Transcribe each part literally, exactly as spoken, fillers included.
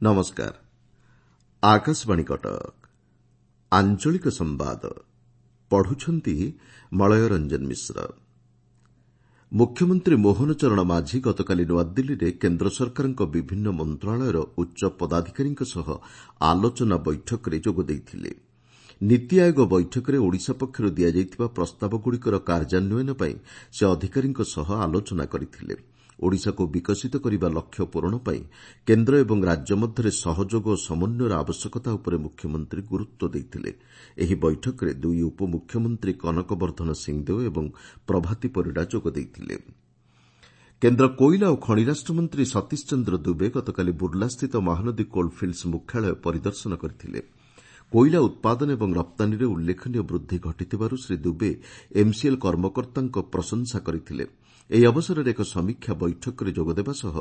ନମସ୍କାର ଆକାଶବାଣୀ କଟକ ଆଞ୍ଚଳିକ ସମ୍ବାଦ ପଢୁଛନ୍ତି ମଳୟ ରଞ୍ଜନ ମିଶ୍ର ମୁଖ୍ୟମନ୍ତ୍ରୀ ମୋହନ ଚରଣ ମାଝୀ ଗତକାଲି ନୂଆଦିଲ୍ଲୀରେ କେନ୍ଦ୍ର ସରକାରଙ୍କ ବିଭିନ୍ନ ମନ୍ତ୍ରଣାଳୟର ଉଚ୍ଚ ପଦାଧିକାରୀଙ୍କ ସହ ଆଲୋଚନା ବୈଠକରେ ଯୋଗ ଦେଇଥିଲେ। ନୀତି ଆୟୋଗ ବୈଠକରେ ଓଡ଼ିଶା ପକ୍ଷରୁ ଦିଆଯାଇଥିବା ପ୍ରସ୍ତାବଗୁଡ଼ିକର କାର୍ଯ୍ୟାନ୍ୱୟନ ପାଇଁ ସେ ଅଧିକାରୀଙ୍କ ସହ ଆଲୋଚନା କରିଥିଲେ। ଓଡ଼ିଶାକୁ ବିକଶିତ କରିବା ଲକ୍ଷ୍ୟ ପୂରଣ ପାଇଁ କେନ୍ଦ୍ର ଏବଂ ରାଜ୍ୟ ମଧ୍ୟରେ ସହଯୋଗ ଓ ସମନ୍ୱୟର ଆବଶ୍ୟକତା ଉପରେ ମୁଖ୍ୟମନ୍ତ୍ରୀ ଗୁରୁତ୍ୱ ଦେଇଥିଲେ। ଏହି ବୈଠକରେ ଦୁଇ ଉପମୁଖ୍ୟମନ୍ତ୍ରୀ କନକ ବର୍ଦ୍ଧନ ସିଂହଦେଓ ଏବଂ ପ୍ରଭାତୀ ପରିଡ଼ା ଯୋଗ ଦେଇଥିଲେ। କେନ୍ଦ୍ର କୋଇଲା ଓ ଖଣି ରାଷ୍ଟ୍ରମନ୍ତ୍ରୀ ସତୀଶ ଚନ୍ଦ୍ର ଦୁବେ ଗତକାଲି ବୁର୍ଲାସ୍ଥିତ ମହାନଦୀ କୋଲ୍ଫିଲ୍ଡସ୍ ମୁଖ୍ୟାଳୟ ପରିଦର୍ଶନ କରିଥିଲେ। କୋଇଲା ଉତ୍ପାଦନ ଏବଂ ରପ୍ତାନୀରେ ଉଲ୍ଲେଖନୀୟ ବୃଦ୍ଧି ଘଟିଥିବାରୁ ଶ୍ରୀ ଦୁବେ ଏମ୍ସିଏଲ୍ କର୍ମକର୍ତ୍ତାଙ୍କ ପ୍ରଶଂସା କରିଥିଲେ। ଏହି ଅବସରରେ ଏକ ସମୀକ୍ଷା ବୈଠକରେ ଯୋଗଦେବା ସହ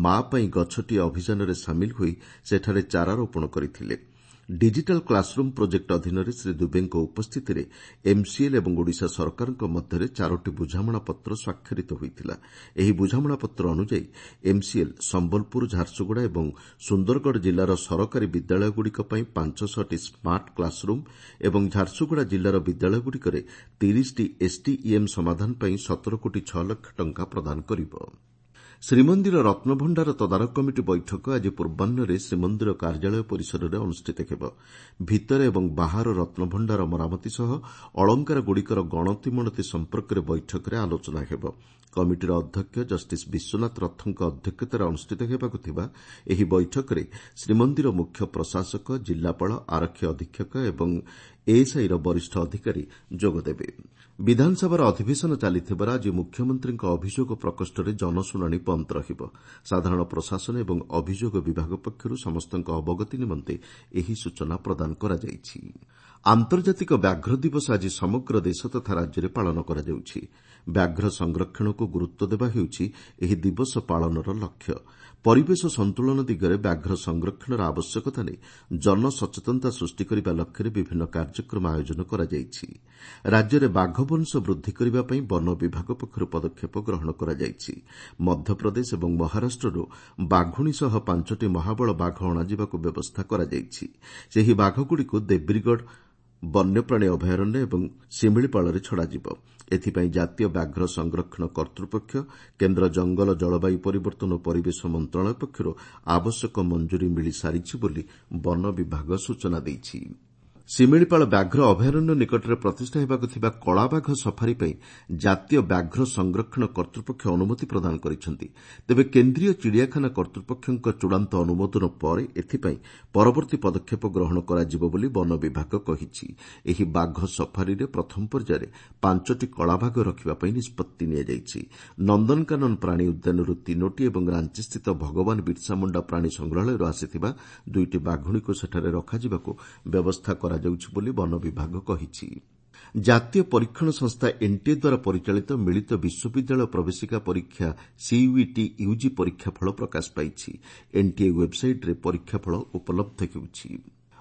ମା ପାଇଁ ଗଛଟିଏ ଅଭିଯାନରେ ସାମିଲ ହୋଇ ସେଠାରେ ଚାରା ରୋପଣ କରିଥିଲେ। ଡିଜିଟାଲ୍ କ୍ଲାସ୍ରୁମ୍ ପ୍ରୋଜେକ୍ଟ ଅଧୀନରେ ଶ୍ରୀ ଦୁବେଙ୍କ ଉପସ୍ଥିତିରେ ଏମ୍ସିଏଲ୍ ଏବଂ ଓଡ଼ିଶା ସରକାରଙ୍କ ମଧ୍ୟରେ ଚାରୋଟି ବୁଝାମଣାପତ୍ର ସ୍ୱାକ୍ଷରିତ ହୋଇଥିଲା। ଏହି ବୁଝାମଣାପତ୍ର ଅନୁଯାୟୀ ଏମ୍ସିଏଲ୍ ସମ୍ବଲପୁର, ଝାରସୁଗୁଡ଼ା ଏବଂ ସୁନ୍ଦରଗଡ଼ ଜିଲ୍ଲାର ସରକାରୀ ବିଦ୍ୟାଳୟଗୁଡ଼ିକ ପାଇଁ ପାଞ୍ଚ ଶହଟି ସ୍ମାର୍ଟ କ୍ଲାସ୍ରୁମ୍ ଏବଂ ଝାରସୁଗୁଡ଼ା ଜିଲ୍ଲାର ବିଦ୍ୟାଳୟଗୁଡ଼ିକରେ ତିରିଶଟି ଏସ୍ଟିଇଏମ୍ ସମାଧାନ ପାଇଁ ସତର କୋଟି ଛଅ ଲକ୍ଷ ଟଙ୍କା ପ୍ରଦାନ କରିବ। ଶ୍ରୀମନ୍ଦିର ରତ୍ନଭଣ୍ଡାର ତଦାରଖ କମିଟି ବୈଠକ ଆଜି ପୂର୍ବାହ୍ନରେ ଶ୍ରୀମନ୍ଦିର କାର୍ଯ୍ୟାଳୟ ପରିସରରେ ଅନୁଷ୍ଠିତ ହେବ। ଭିତର ଏବଂ ବାହାର ରତ୍ନଭଣ୍ଡାର ମରାମତି ସହ ଅଳଙ୍କାରଗୁଡ଼ିକର ଗଣତିମଣତି ସମ୍ପର୍କରେ ବୈଠକରେ ଆଲୋଚନା ହେବ। କମିଟିର ଅଧ୍ୟକ୍ଷ ଜଷ୍ଟିସ୍ ବିଶ୍ୱନାଥ ରଥଙ୍କ ଅଧ୍ୟକ୍ଷତାରେ ଅନୁଷ୍ଠିତ ହେବାକୁ ଥିବା ଏହି ବୈଠକରେ ଶ୍ରୀମନ୍ଦିର ମୁଖ୍ୟ ପ୍ରଶାସକ, ଜିଲ୍ଲାପାଳ, ଆରକ୍ଷୀ ଅଧୀକ୍ଷକ ଏବଂ ଏଏସ୍ଆଇର ବରିଷ୍ଠ ଅଧିକାରୀ ଯୋଗଦେବେ। ବିଧାନସଭାର ଅଧିବେଶନ ଚାଲିଥିବାରୁ ଆଜି ମୁଖ୍ୟମନ୍ତ୍ରୀଙ୍କ ଅଭିଯୋଗ ପ୍ରକୋଷ୍ଠରେ ଜନଶୁଣାଣି ବନ୍ଦ ରହିବ। ସାଧାରଣ ପ୍ରଶାସନ ଏବଂ ଅଭିଯୋଗ ବିଭାଗ ପକ୍ଷରୁ ସମସ୍ତଙ୍କ ଅବଗତି ନିମନ୍ତେ ଏହି ସୂଚନା ପ୍ରଦାନ କରାଯାଇଛି। ଆନ୍ତର୍ଜାତିକ ବ୍ୟାଘ୍ର ଦିବସ ଆଜି ସମଗ୍ର ଦେଶ ତଥା ରାଜ୍ୟରେ ପାଳନ କରାଯାଉଛି। ବ୍ୟାଘ୍ର ସଂରକ୍ଷଣକୁ ଗୁରୁତ୍ୱ ଦେବା ହେଉଛି ଏହି ଦିବସ ପାଳନର ଲକ୍ଷ୍ୟ। ପରିବେଶ ସନ୍ତୁଳନ ଦିଗରେ ବ୍ୟାଘ୍ର ସଂରକ୍ଷଣର ଆବଶ୍ୟକତା ନେଇ ଜନସଚେତନତା ସୃଷ୍ଟି କରିବା ଲକ୍ଷ୍ୟରେ ବିଭିନ୍ନ କାର୍ଯ୍ୟକ୍ରମ ଆୟୋଜନ କରାଯାଇଛି। ରାଜ୍ୟରେ ବାଘ ବଂଶ ବୃଦ୍ଧି କରିବା ପାଇଁ ବନ ବିଭାଗ ପକ୍ଷରୁ ପଦକ୍ଷେପ ଗ୍ରହଣ କରାଯାଇଛି। ମଧ୍ୟପ୍ରଦେଶ ଏବଂ ମହାରାଷ୍ଟ୍ରରୁ ବାଘୁଣୀ ସହ ପାଞ୍ଚଟି ମହାବଳ ବାଘ ଅଣାଯିବାକୁ ବ୍ୟବସ୍ଥା କରାଯାଇଛି। ସେହି ବାଘଗୁଡ଼ିକୁ ଦେବ୍ରିଗଡ଼ ବନ୍ୟପ୍ରାଣୀ ଅଭୟାରଣ୍ୟ ଏବଂ ଶିମିଳିପାଳରେ ଛଡ଼ାଯିବ। ଏଥିପାଇଁ ଜାତୀୟ ବ୍ୟାଘ୍ର ସଂରକ୍ଷଣ କର୍ତ୍ତୃପକ୍ଷ, କେନ୍ଦ୍ର ଜଙ୍ଗଲ, ଜଳବାୟୁ ପରିବର୍ତ୍ତନ ଓ ପରିବେଶ ମନ୍ତ୍ରଣାଳୟ ପକ୍ଷରୁ ଆବଶ୍ୟକ ମଞ୍ଜୁରୀ ମିଳିସାରିଛି ବୋଲି ବନ ବିଭାଗ ସୂଚନା ଦେଇଛି। ଶିମିଳିପାଳ ବ୍ୟାଘ୍ର ଅଭୟାରଣ୍ୟ ନିକଟରେ ପ୍ରତିଷ୍ଠା ହେବାକୁ ଥିବା କଳାବାଘ ସଫାରି ପାଇଁ ଜାତୀୟ ବ୍ୟାଘ୍ର ସଂରକ୍ଷଣ କର୍ତ୍ତୃପକ୍ଷ ଅନୁମତି ପ୍ରଦାନ କରିଛନ୍ତି। ତେବେ କେନ୍ଦ୍ରୀୟ ଚିଡ଼ିଆଖାନା କର୍ତ୍ତୃପକ୍ଷଙ୍କ ଚୂଡ଼ାନ୍ତ ଅନୁମୋଦନ ପରେ ଏଥିପାଇଁ ପରବର୍ତ୍ତୀ ପଦକ୍ଷେପ ଗ୍ରହଣ କରାଯିବ ବୋଲି ବନ ବିଭାଗ କହିଛି। ଏହି ବାଘ ସଫାରିରେ ପ୍ରଥମ ପର୍ଯ୍ୟାୟରେ ପାଞ୍ଚଟି କଳାବାଘ ରଖିବା ପାଇଁ ନିଷ୍ପତ୍ତି ନିଆଯାଇଛି। ନନ୍ଦନକାନନ ପ୍ରାଣୀ ଉଦ୍ୟାନରୁ ତିନୋଟି ଏବଂ ରାଞ୍ଚିସ୍ଥିତ ଭଗବାନ ବିର୍ସା ମୁଣ୍ଡା ପ୍ରାଣୀ ସଂଗ୍ରହାଳୟରୁ ଆସିଥିବା ଦୁଇଟି ବାଘୁଣୀକୁ ସେଠାରେ ରଖାଯିବାକୁ ବ୍ୟବସ୍ଥା କରାଯାଉଛି ବୋଲି ବନ ବିଭାଗ କହିଛି। ଜାତୀୟ ପରୀକ୍ଷଣ ସଂସ୍ଥା ଏନ୍ଟିଏ ଦ୍ୱାରା ପରିଚାଳିତ ମିଳିତ ବିଶ୍ୱବିଦ୍ୟାଳୟ ପ୍ରବେଶିକା ପରୀକ୍ଷା ସିୟୁଇଟି ୟୁଜି ପରୀକ୍ଷା ଫଳ ପ୍ରକାଶ ପାଇଛି। ଏନ୍ଟିଏ ୱେବ୍ସାଇଟ୍ରେ ପରୀକ୍ଷା ଫଳ ଉପଲବ୍ଧ ହେଉଛି।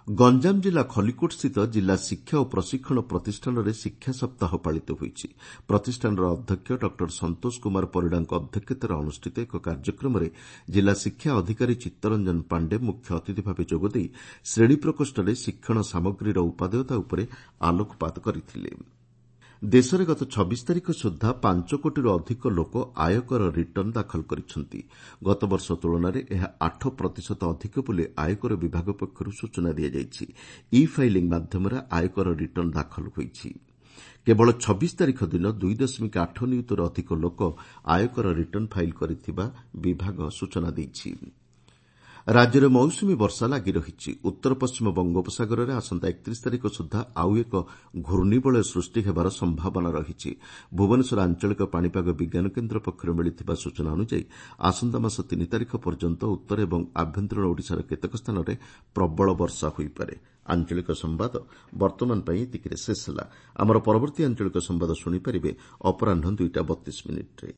ଗଞ୍ଜାମ ଜିଲ୍ଲା ଖଲିକୋଟସ୍ଥିତ ଜିଲ୍ଲା ଶିକ୍ଷା ଓ ପ୍ରଶିକ୍ଷଣ ପ୍ରତିଷ୍ଠାନରେ ଶିକ୍ଷା ସପ୍ତାହ ପାଳିତ ହୋଇଛି। ପ୍ରତିଷ୍ଠାନର ଅଧ୍ୟକ୍ଷ ଡକ୍ଟର ସନ୍ତୋଷ କୁମାର ପରିଡ଼ାଙ୍କ ଅଧ୍ୟକ୍ଷତାରେ ଅନୁଷ୍ଠିତ ଏକ କାର୍ଯ୍ୟକ୍ରମରେ ଜିଲ୍ଲା ଶିକ୍ଷା ଅଧିକାରୀ ଚିତ୍ତରଞ୍ଜନ ପାଣ୍ଡେ ମୁଖ୍ୟ ଅତିଥି ଭାବେ ଯୋଗଦେଇ ଶ୍ରେଣୀ ପ୍ରକୋଷ୍ଠରେ ଶିକ୍ଷଣ ସାମଗ୍ରୀର ଉପାଦେୟତା ଉପରେ ଆଲୋକପାତ କରିଥିଲେ। ଦେଶରେ ଗତ ଛବିଶ ତାରିଖ ସୁଦ୍ଧା ପାଞ୍ଚ କୋଟିରୁ ଅଧିକ ଲୋକ ଆୟକର ରିଟର୍ଣ୍ଣ ଦାଖଲ କରିଛନ୍ତି। ଗତବର୍ଷ ତୁଳନାରେ ଏହା ଆଠ ପ୍ରତିଶତ ଅଧିକ ବୋଲି ଆୟକର ବିଭାଗ ପକ୍ଷରୁ ସୂଚନା ଦିଆଯାଇଛି। ଇ ଫାଇଲିଂ ମାଧ୍ୟମରେ ଆୟକର ରିଟର୍ଣ୍ଣ ଦାଖଲ ହୋଇଛି। କେବଳ ଛବିଶ ତାରିଖ ଦିନ ଦୁଇ ଦଶମିକ ଆଠ ନିୟୁତରୁ ଅଧିକ ଲୋକ ଆୟକର ରିଟର୍ଣ୍ଣ ଫାଇଲ୍ କରିଥିବା ବିଭାଗ ସୂଚନା ଦେଇଛି। ରାଜ୍ୟରେ ମୌସୁମୀ ବର୍ଷା ଲାଗି ରହିଛି। ଉତ୍ତର ପଶ୍ଚିମ ବଙ୍ଗୋପସାଗରରେ ଆସନ୍ତା ଏକତିରିଶ ତାରିଖ ସୁଦ୍ଧା ଆଉ ଏକ ଘୂର୍ଣ୍ଣିବଳୟ ସୃଷ୍ଟି ହେବାର ସମ୍ଭାବନା ରହିଛି। ଭୁବନେଶ୍ୱର ଆଞ୍ଚଳିକ ପାଣିପାଗ ବିଜ୍ଞାନ କେନ୍ଦ୍ର ପକ୍ଷରୁ ମିଳିଥିବା ସୂଚନା ଅନୁଯାୟୀ ଆସନ୍ତା ମାସ ତିନି ତାରିଖ ପର୍ଯ୍ୟନ୍ତ ଉତ୍ତର ଏବଂ ଆଭ୍ୟନ୍ତରୀଣ ଓଡ଼ିଶାର କେତେକ ସ୍ଥାନରେ ପ୍ରବଳ ବର୍ଷା ହୋଇପାରେ। ଆଞ୍ଚଳିକ ସମ୍ବାଦ ବର୍ତ୍ତମାନ ପାଇଁ ଏତିକିରେ ଶେଷ ହେଲା। ଆମର ପରବର୍ତ୍ତୀ ଆଞ୍ଚଳିକ ସମ୍ବାଦ ଶୁଣିପାରିବେ ଅପରାହ୍ନ ଦୁଇଟା ବତିଶ ମିନିଟ୍ରେ।